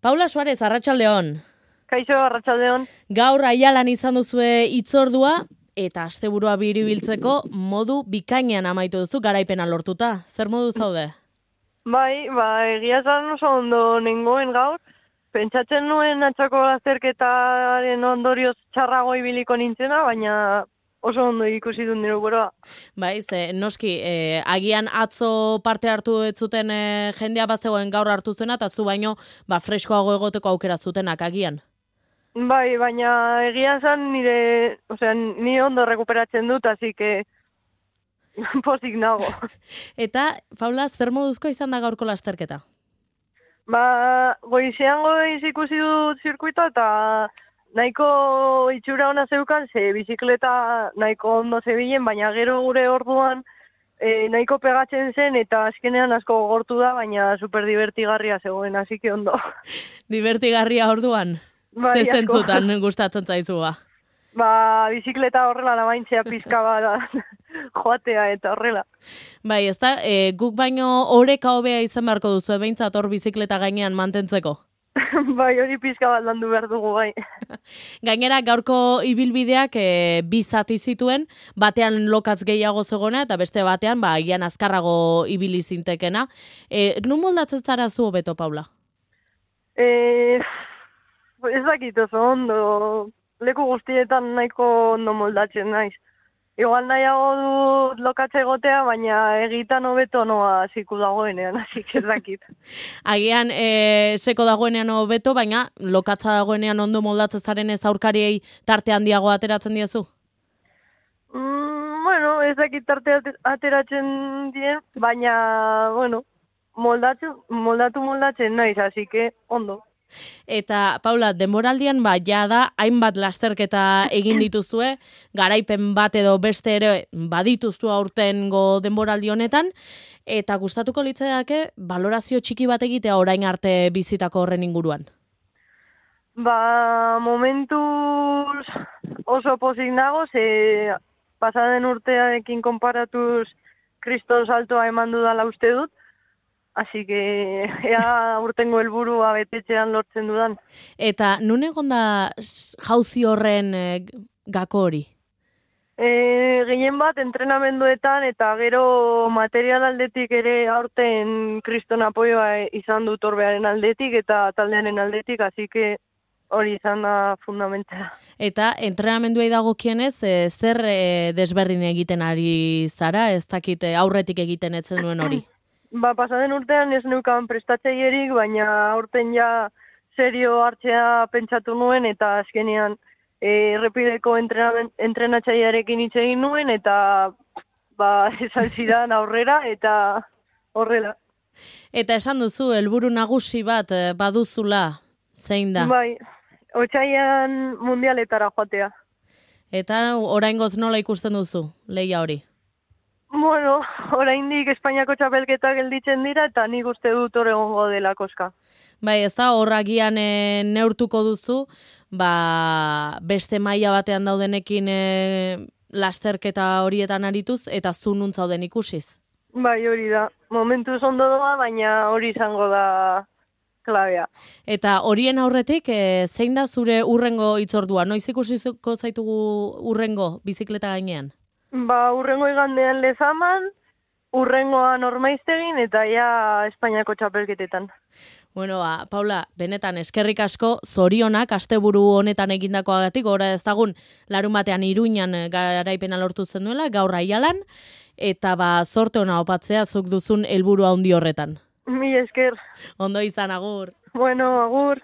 Paula Suarez, arratsaldeon. Kaixo, arratsaldeon. Gaur Aialan izan duzue hitzordua eta asteburua biribiltzeko modu bikainean amaitu duzu garaipena lortuta. Zer modu zaude? Bai, egia esan oso ondo nengoen gaur. Pentsatzen nuen atzako azterketaren ondorioz txarrago ibiliko nintzena, baina oso ondo ikusi dut nire burua. Bai, noski, agian atzo parte hartu ez zuten jendea bazegoen gaur hartu zuena, eta zu baino freskoago egoteko aukera zutenak agian. Bai, baina egia esan ni ondo rekuperatzen dut, así que pozik nago. Eta, Paula, zer moduzko izan da gaurko lasterketa? Goizean ikusi dut zirkuitoa eta nahiko itxura ona zeukan, ze bizikleta nahiko ondo zebilen, baina gero gure orduan nahiko pegatzen zen eta azkenean asko gogortu da, baina super divertigarria zegoen, hasi que ondo. Divertigarria orduan? Bai, ze zentzutan gustatzen zaizua? Bizikleta horrela namaintzea pizka bat joatea eta horrela. Bai, ezta, guk baino oreka hobea izan beharko duzu, behintzat hor bizikleta gainean mantentzeko. Bai, hori pizka bat landu behar dugu, bai. Gainera, gaurko ibilbideak bi zati zituen, batean lokatz gehiago zegona, eta beste batean, agian azkarrago ibili zintekena. Nun moldatzen zara zu hobeto, Paula? Ez dakit oso ondo, leku guztietan nahiko ondo moldatzen naiz. Igual nahiago du lokatze egotea, baina egitan hobeto noa ziku dagoenean, hasi ez dakit. Agian seko dagoenean hobeto, baina lokatza dagoenean ondo moldatzen zaren ez aurkariei tarte handiago ateratzen diezu? Ez dakit tarte ateratzen dien, baina, moldatzen naiz, hasi que ondo. Eta, Paula, denboraldian jada hainbat lasterketa egin dituzue, garaipen bat edo beste ere badituzu aurtengo denboraldi honetan, eta gustatuko litzaidake balorazio txiki bat egitea orain arte bizitako horren inguruan. Momentuz oso pozik nago, ze pasaden urtearekin konparatuz kriston saltoa eman dudala uste dut, así que ea urtengo helburua betetzean lortzen dudan. Eta nun egon da jauzi horren gako hori? Gehien bat entrenamenduetan eta gero material aldetik ere aurten kriston apoioa izan dut orbearen aldetik eta taldearen aldetik, así que hori izan da fundamentala. Eta entrenamenduei dagokienez, zer desberdin egiten ari zara, ez dakit aurretik egiten ez zenuen hori? Pasaden urtean ez neukan prestatzeierik, baina aurten ja serio hartzea pentsatu nuen eta azkenean errepideko entrenatzailearekin hitz egin nuen eta esan zidan aurrera eta horrela. Eta esan duzu, helburu nagusi bat baduzula, zein da? Bai, otsailean mundialetara joatea. Eta oraingoz nola ikusten duzu, lehia hori? Oraindik Espainiako txapelketak gelditzen dira eta nik uste dut hor egongo dela koska. Bai, ez da, horragian neurtuko duzu, beste maila batean daudenekin lasterketa horietan arituz, eta zu nun zauden ikusiz? Bai, hori da. Momentuz ondo doa, baina hori izango da klabea. Eta horien aurretik, zein da zure urrengo hitzordua? Noiz ikusiko zaitugu urrengo bizikleta gainean? Urrengo igandean Lezaman, urrengoan Ormaiztegin eta ja Espainiako txapelketetan. Paula, benetan eskerrik asko, zorionak asteburu honetan egindakoagatik, gora ezagun larun batean Iruñan garaipena lortu zen duela, gaur Aialan, eta zorte ona opatzea zuk duzun helburu handi horretan. Mila esker. Ondo izan, agur. Agur.